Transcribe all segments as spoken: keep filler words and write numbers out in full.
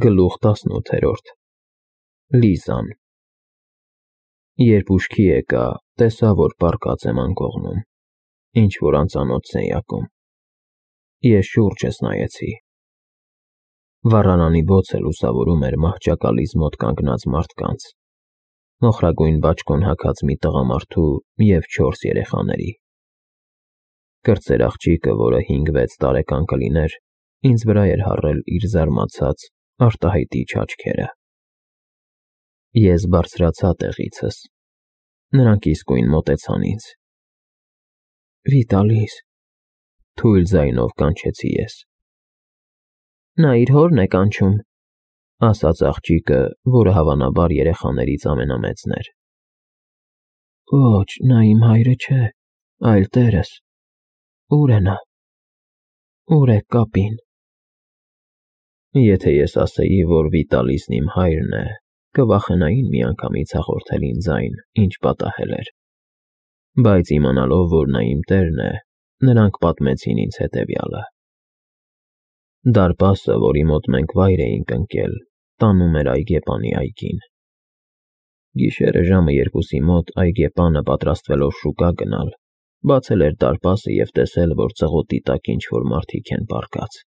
Գլուխ տասնութերորդ Լիզան Երբ ուշքի եկա, տեսա, որ պառկած եմ անկողնում, ինչ-որ անծանոթ սենյակում: Ես շուրջս նայեցի: Վառարանի բոցը լուսավորում էր մահճակալիս մոտ կանգնած մարդկանց, մոխրագույն բաճկոն հագած մի տղամարդու և չորս երեխաների: Կրտսեր աղջիկը, որը հինգ֊վեց տարեկան կլիներ, ինձ վրա էր հառել իր զարմացած, արտահայտիչ աչքերը: Ես բարձրացա տեղիցս: Նրանք իսկույն մոտեցան ինձ: Վիտալիս, թույլ ձայնով կանչեցի ես: Նա իր հորն է կանչում, ասաց աղջիկը, որը հավանաբար երեխաներից ամենամեծն էր: Ոչ, նա իմ հայրը չէ, այլ տերս: Ո՞ւր է նա: Ո՞ւր է կապին: Եթե ես ասեի, որ Վիտալիսն իմ հայրն է, կվախենային միանգամից հաղորդել ինձ այն, ինչ պատահել էր: Բայց իմանալով, որ նա իմ տերն է, նրանք պատմեցին ինձ հետևյալը: Դարպասը, որի մոտ մենք վայր էինք ընկել, տանում էր այգեպանի այգին: Գիշերը ժամը երկուսի մոտ այգեպանը, պատրաստվելով շուկա գնալ, բացել էր դարպասը և տեսել, որ ծղոտի տակ ինչ-որ մարդիկ են պառկած: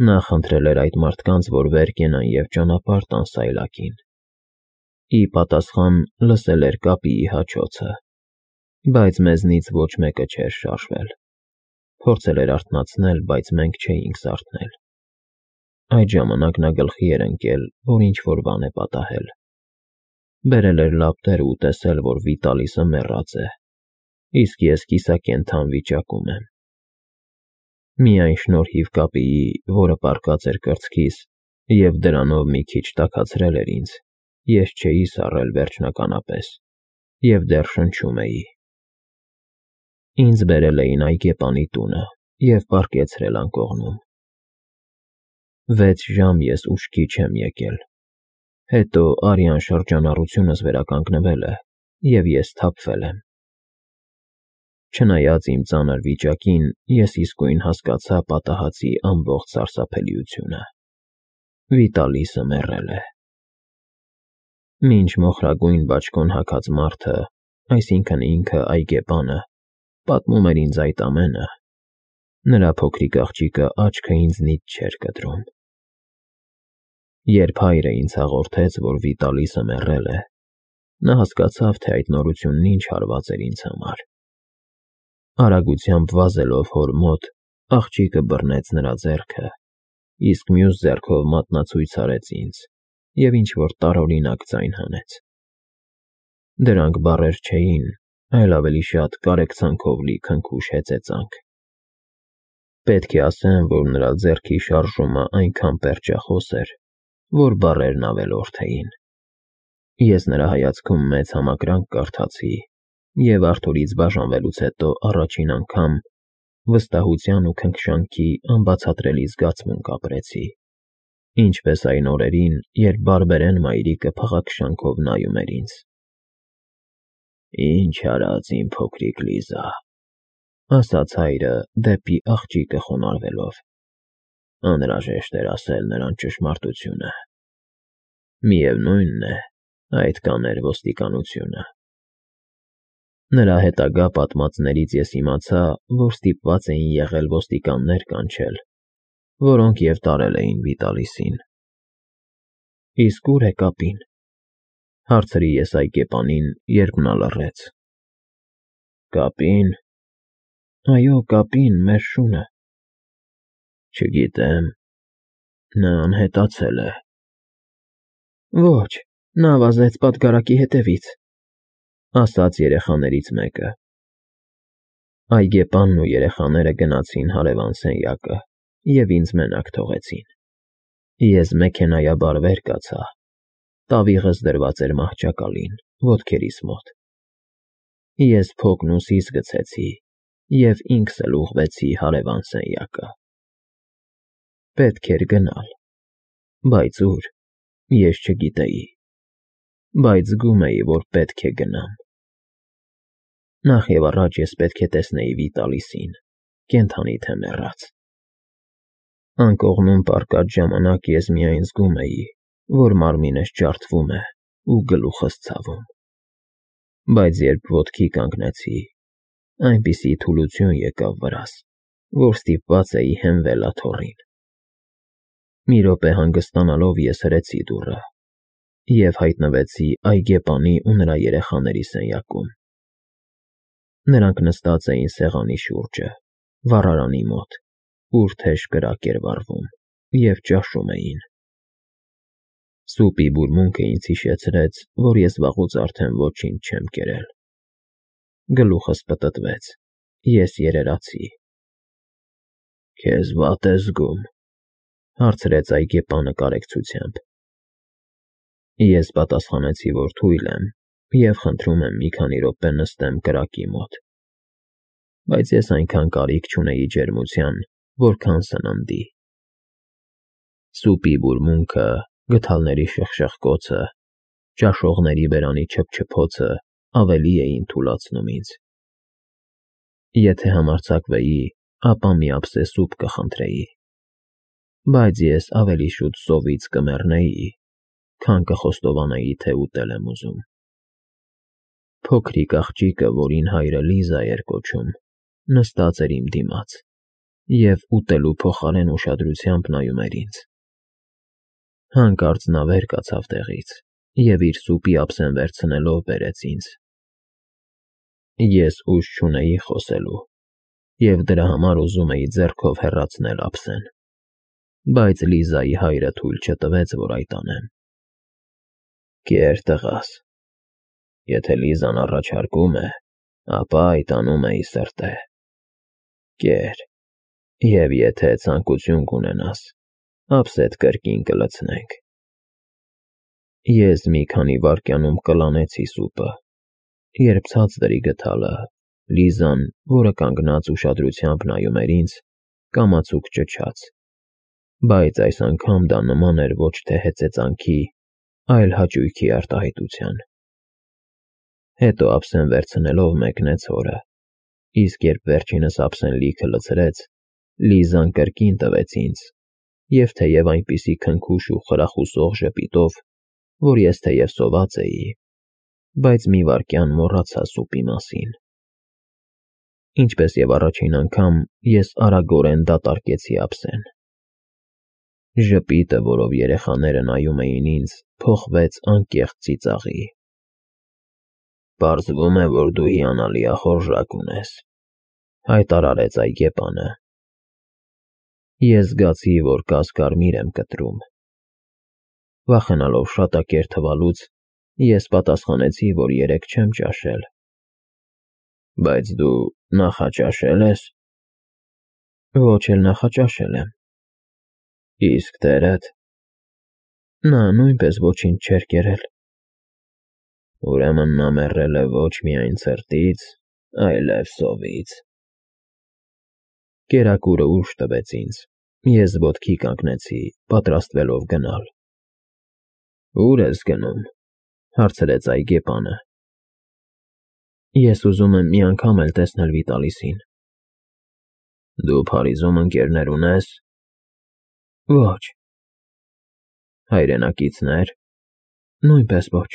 Նա խնդրել էր այդ մարդկանց, որ վեր կենան և ճանապարհ տան սայլակին: Ի պատասխան լսել էր կապիի հաչոցը, բայց մեզնից ոչ մեկը չէր շարժվել: Փորձել էր արթնացնել, բայց մենք չէինք զարթնել: Այդ ժամանակ նա գլխի էր ընկել, որ ինչ-որ բան է պատահել: Բերել էր լապտերն ու տեսել, որ Վիտալիսը մեռած է, իսկ ես կիսակենդան վիճակում եմ: Միայն շնորհիվ կապիի, որը պառկած էր կրծքիս և դրանով մի քիչ տաքացրել էր ինձ, ես չէի սառել վերջնականապես և դեռ շնչում էի: Ինձ բերել էին այգեպանի տունը և պառկեցրել անկողնում: Վեց ժամ ես ուշքի չեմ եկել: Հետո արյան շրջանառությունս վերականգնվել է և ես սթափվել եմ: Չնայած իմ ծանր վիճակին, ես իսկույն հասկացա պատահածի ամբողջ սարսափելիությունը: Վիտալիսը մեռել է: Մինչ մոխրագույն բաճկոն հագած մարդը, այսինքն ինքը այգեպանը, պատմում էր ինձ այդ ամենը, նրա փոքրիկ աղջիկը աչքը ինձնից չէր կտրում: Երբ հայրը ինձ հաղորդեց, որ Վիտալիսը մեռել է, նա հասկացավ, թե այդ նորությունն ինչ հարված էր ինձ համար: Արագությամբ վազելով հոր մոտ, աղջիկը բռնեց նրա ձեռքը, իսկ մյուս ձեռքով մատնացույց արեց ինձ և ինչ-որ տարօրինակ ձայն հանեց: Դրանք բառեր չէին, այլ ավելի շատ կարեկցանքով լի քնքուշ հեծեծանք: Պետք է ասեմ, որ նրա ձեռքի շարժումն այնքան պերճախոս էր, որ բառերն ավելորդ էին: Ես նրա հայացքում մեծ համակրանք կարդացի և Արթուրից բաժանվելուց հետո առաջին անգամ վստահության ու քնքշանքի անբացատրելի զգացմունք ապրեցի, ինչպես այն օրերին, երբ բարբերեն մայրիկը փաղաքշանքով նայում էր ինձ: Ինչ արած իմ փոքրիկ Լիզա, ասաց հայրը դեպի աղջիկը խոնարհվելով: Անհրաժեշտ էր ասել նրան ճշմարտությունը: Միևնույն է, այդ կաներ ոստիկանությունը: Նրա հետագա պատմածներից ես իմացա, որ ստիպված էին եղել ոստիկաններ կանչել, որոնք և տարել էին Վիտալիսին: Իսկ ո՞ւր է կապին: Հարցրի ես այգեպանին, երբ նա լռեց: Կապի՞ն: Այո, կապին, մեր շունը: Չգիտեմ, նա անհետացել է: Ոչ, նա վազեց պատգարակի հետևից: Ասաց երեխաներից մեկը: Այգեպանն ու երեխաները գնացին հարևան սենյակը և ինձ մենակ թողեցին: Ես մեքենայաբար վեր կացա: Տավիղս դրված էր մահճակալին, ոտքերիս մոտ: Ես փոքն ուսիս գցեցի և ինքս էլ ուղղվեցի հարևան սենյակը: Պետք էր գնալ, բայց ո՞ւր, ես չգիտեի, բայց զգում էի, որ պետք է գնամ: Նախ և առաջ ես պետք է տեսնեի Վիտալիսին, կենդանի թե մեռած: Անկողնում պառկած ժամանակ ես միայն զգում էի, որ մարմինս ջարդվում է ու գլուխս ցավում, բայց երբ ոտքի կանգնեցի, այնպիսի թուլություն եկավ վրաս, որ ստիպված էի հենվել աթոռին։ Մի րոպե հանգստանալով ես հրեցի դուռը և հայտնվեցի այգեպանի ու նրա երեխաների սենյակում։ Նրանք նստած էին սեղանի շուրջը, վառարանի մոտ, ուր թեժ կրակ էր վառվում, և ճաշում էին։ Սուպի բուրմունքը ինձ հիշեցրեց, որ ես վաղուց արդեն ոչինչ չեմ կերել։ Գլուխս պտտվեց, ես երերացի։ «Քեզ վատ ես զգում,֊ հարցրեց այգեպանը կարեկցությամբ։ Ես պատասխանեցի, որ թույլ եմ և խնդրում եմ մի քանի րոպե նստեմ կրակի մոտ, բայց ես այնքան կարիք չունեի ջերմության, որքան սննդի։ Սուպի բուրմունքը, գդալների շխշխկոցը, ճաշողների բերանի չփչփոցը ավելի էին թուլացնում ինձ։ Եթե համարձակվեի, ապա մի ափսե սուպ կխնդրեի, բայց ես ավելի շուտ սովից կմեռնեի, քան կխոստովանեի, թե ուտել եմ ուզում։ Փոքրիկ աղջիկը, որին հայրը Լիզա էր կոչում, նստած էր իմ դիմաց և ուտելու փոխարեն ուշադրությամբ նայում էր ինձ։ Հանկարծ նա վեր կացավ տեղից և իր սուպի ափսեն վերցնելով բերեց ինձ։ Ես ուժ չունեի խոսելու և դրա համար ուզում էի ձեռքով հեռացնել ափսեն, բայց Լիզայի հայրը թույլ չտվեց, որ այդ անեմ։ «Կեր, տղաս, եթե Լիզան առաջարկում է, ապա այդ անում էի սրտե։ Կեր, և եթե ցանկություն կունենաս, ափսեդ կրկին կլցնենք»։ Ես մի քանի վայրկյանում կլանեցի սուպը, երբ ցածր էի գդալը, Լիզան, որը կանգնած ուշադրությամբ նայում էր ինձ, կամացուկ ճչաց, բայց այս անգամ դա նման էր ոչ թե հեծեծանքի, այլ հաճույքի արտահայտության։ Հետո ափսեն վերցնելով մեկնեց հորը, իսկ երբ վերջինս ափսեն լիքը լցրեց, Լիզան կրկին տվեց ինձ, և թեև այնպիսի քնքուշ ու խրախուսող ժպիտով, որ ես թեև սոված էի, բայց մի վայրկյան մոռացա սուպի մասին։ Ինչպես և առաջին անգամ, ես արագորեն դատարկեցի ափսեն։ Ժպիտը, որով երեխաները նայում էին ինձ, փոխվեց անկեղծ ծիծաղի։ «Պարզվում է, որ դու հիանալի ախորժակ ունես,֊ հայտարարեց այգեպանը։ Ես զգացի, որ կասկարմիր եմ կտրում։ Վախենալով շատակեր թվալուց, ես պատասխանեցի, որ երեկ չեմ ճաշել։ «Բայց դու նախաճաշե՞լ ես»։ «Ոչ էլ նախաճաշել եմ»։ «Իսկ տերդ»։ «Նա նույնպես ոչինչ չէր կերել»։ «Ուրեմն նա մեռել է ոչ միայն ցրտից, այլև սովից»։ Կերակուրը ուժ տվեց ինձ, ես ոտքի կանգնեցի, պատրաստվելով գնալ։ «Ո՞ւր ես գնում,֊ հարցրեց այգեպանը։ Ես ուզում եմ մի անգամ էլ տեսնել Վիտալիսին։ «Դու Փարիզում ընկերներ ունե՞ս»։ «Ոչ»։ «Հայրենակիցնե՞ր»։ «Նույնպես ոչ»։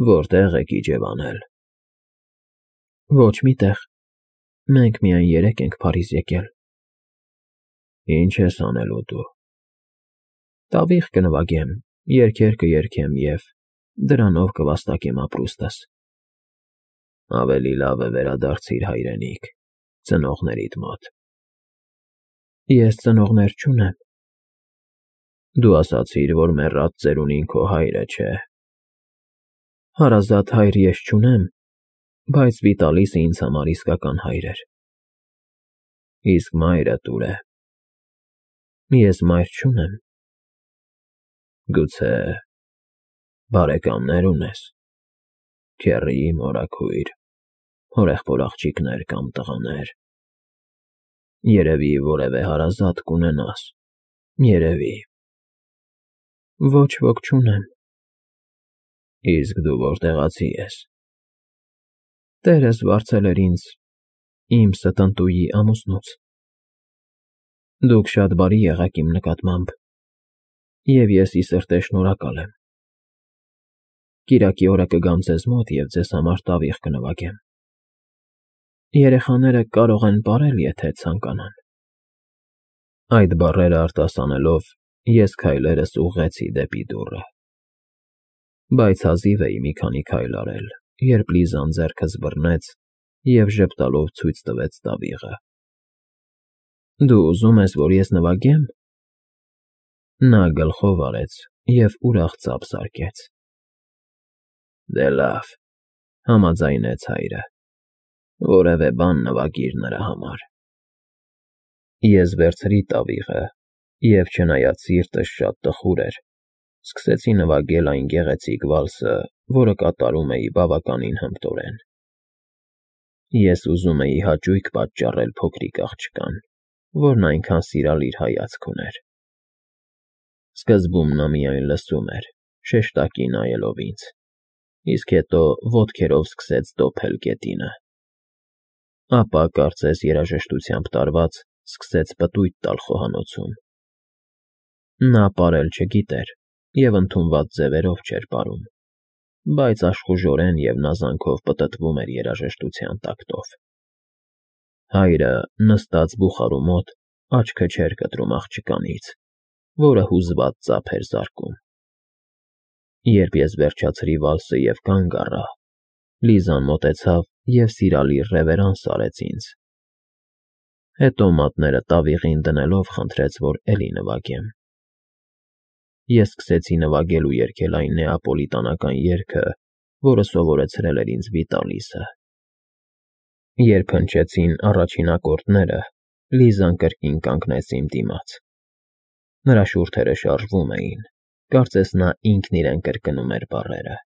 «Որտե՞ղ եք իջևանել»։ «Ոչ մի տեղ, մենք միայն երեկ ենք Փարիզ եկել»։ «Ի՞նչ ես անելու դու»։ «Տավիղ կնվագեմ, երգեր կերգեմ և դրանով կվաստակեմ ապրուստս»։ «Ավելի լավ է վերադարձիր հայրենիք, ծնողներիդ մոտ»։ «Ես ծնողներ չունեմ»։ «Դու ասացիր, որ մեռած ծերունին քո հայրը չէ»։ «Հարազատ հայր ես չունեմ, բայց Վիտալիսը ինձ համար իսկական հայր էր»։ «Իսկ մայրդ ո՞ւր է»։ «Ես մայր չունեմ»։ «Գուցե բարեկամներ ունես, քեռի, մորաքույր, հորեղբոր աղջիկներ կամ տղաներ։ Երևի որևէ հարազատ կունենաս, երևի»։ «Ոչ ոք չունեմ»։ «Իսկ դու որտեղացի ես»։ «Տերս վարձել էր ինձ իմ ստընտուի ամուսնուց»։ Դուք շատ բարի եղաք իմ նկատմամբ, և ես ի սրտե շնորհակալ եմ։ Կիրակի օրը կգամ ձեզ մոտ և ձեզ համար տավիղ կնվագեմ։ Երեխաները կարող են պարել, եթե ցանկանան։ Այդ բառերը արտասանելով, ես քայլերս ուղղեցի դեպի դուռը։ Բայց հազիվ էի մի քանի քայլ արել, երբ Լիզան ձեռքս բռնեց և ժպտալով ցույց տվեց տավիղը։ Դու ուզում ես, որ ես նվագե՞մ։ Նա գլխով արեց և ուրախ ծափ զարկեց։ Դե լավ, համաձայնեց հայրը, որևէ բան նվագիր նրա համար։ Ես վերցրի տավիղը և, չնայած սիրտս շատ տխուր էր, սկսեցի նվագել այն գեղեցիկ վալսը, որը կատարում էի բավականին հմտորեն։ Ես ուզում էի հաճույք պատճառել փոքրիկ աղջկան, որն այնքան սիրալիր հայացք ուներ։ Սկզբում նա միայն լսում էր, շեշտակի նայելով ինձ, իսկ հետո ոտքերով սկսեց դոփել գետինը։ Ապա, կարծես երաժշտությամբ տարված, սկսեց պտույտ տալ խոհանոցում։ Նա պարել չգիտեր և ընդունված ձևերով չէր պարում, բայց աշխուժորեն և նազանքով պտտվում էր երաժշտության տակտով։ Հայրը, նստած բուխարու մոտ, աչքը չէր կտրում աղջկանից, որը հուզված ծափ էր զարկում։ Երբ ես վերջացրի վալսը և կանգ առա, Լիզան մոտեցավ և սիրալիր ռևերանս արեց ինձ։ Հետո մատները տավիղին դնելով խնդրեց, որ էլի նվագեմ։ Ես սկսեցի նվագել ու երգել այն նեապոլիտանական երգը, որը սովորեցրել էր ինձ Վիտալիսը։ Երբ հնչեցին առաջին ակորդները, Լիզան կրկին կանգնեց իմ դիմաց։ Նրա շուրթերը շարժվում էին, կարծես նա ինքն իրեն կրկնում էր բառերը։